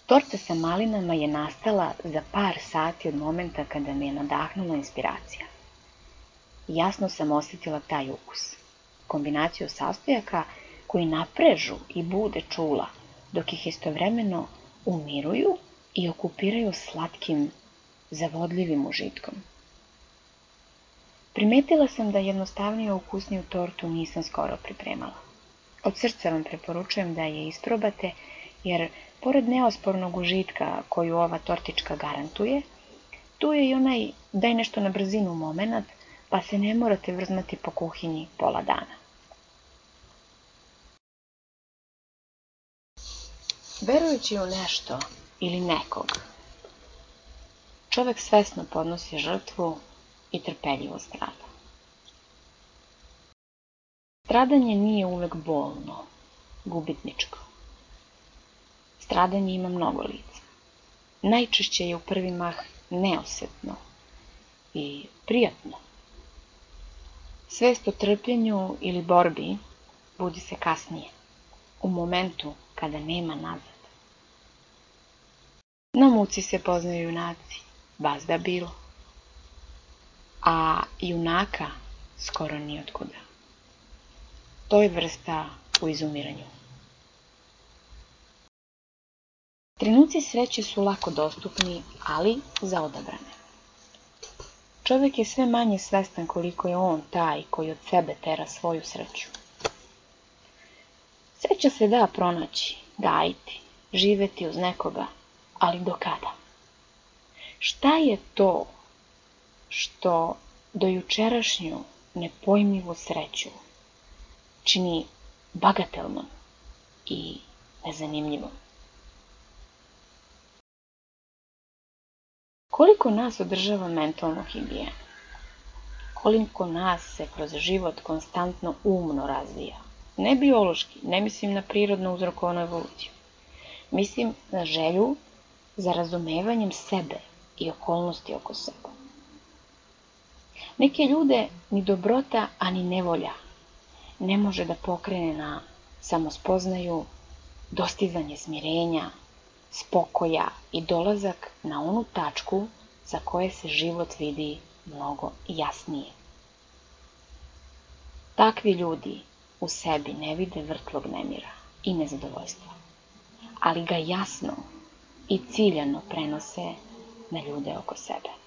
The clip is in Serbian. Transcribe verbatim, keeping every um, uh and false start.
Torta sa malinama je nastala za par sati od momenta kada me je nadahnula inspiracija. Jasno sam osjetila taj ukus, kombinaciju sastojaka koji naprežu i bude čula, dok ih istovremeno umiruju i okupiraju slatkim, zavodljivim užitkom. Primetila sam da jednostavniju ukusniju tortu nisam skoro pripremala. Od srca vam preporučujem da je isprobate, jer pored neospornog užitka koju ova tortička garantuje, tu je i onaj daj nešto na brzinu momenat, pa se ne morate vrzmati po kuhinji pola dana. Verujući u nešto ili nekog, čovek svesno podnosi žrtvu i trpeljivo strada. Stradanje nije uvek bolno, gubitničko. Stradanje ima mnogo lica. Najčešće je u prvi mah neosetno i prijatno. Svest o trpljenju ili borbi budi se kasnije, u momentu kada nema nazad. Na muci se poznaju junaci, bazda bilo, a junaka skoro ni otkuda. To je vrsta u izumiranju. Trenuci sreće su lako dostupni, ali za odabrane. Čovek je sve manje svestan koliko je on taj koji od sebe tera svoju sreću. Sreća se da pronaći, gajiti, živeti uz nekoga, ali do kada? Šta je to što dojučerašnju nepojmljivu sreću čini bagatelnom i nezanimljivom? Koliko nas održava mentalnu higijenu? Koliko nas se kroz život konstantno umno razvija? Ne biološki, ne mislim na prirodno uzrokovanu evoluciju. Mislim na želju za razumevanjem sebe i okolnosti oko sebe. Neke ljude ni dobrota, a ni nevolja ne može da pokrene na samospoznaju, dostizanje smirenja, spokoja i dolazak na onu tačku za koje se život vidi mnogo jasnije. Takvi ljudi u sebi ne vide vrtlog nemira i nezadovoljstva, ali ga jasno i ciljano prenose na ljude oko sebe.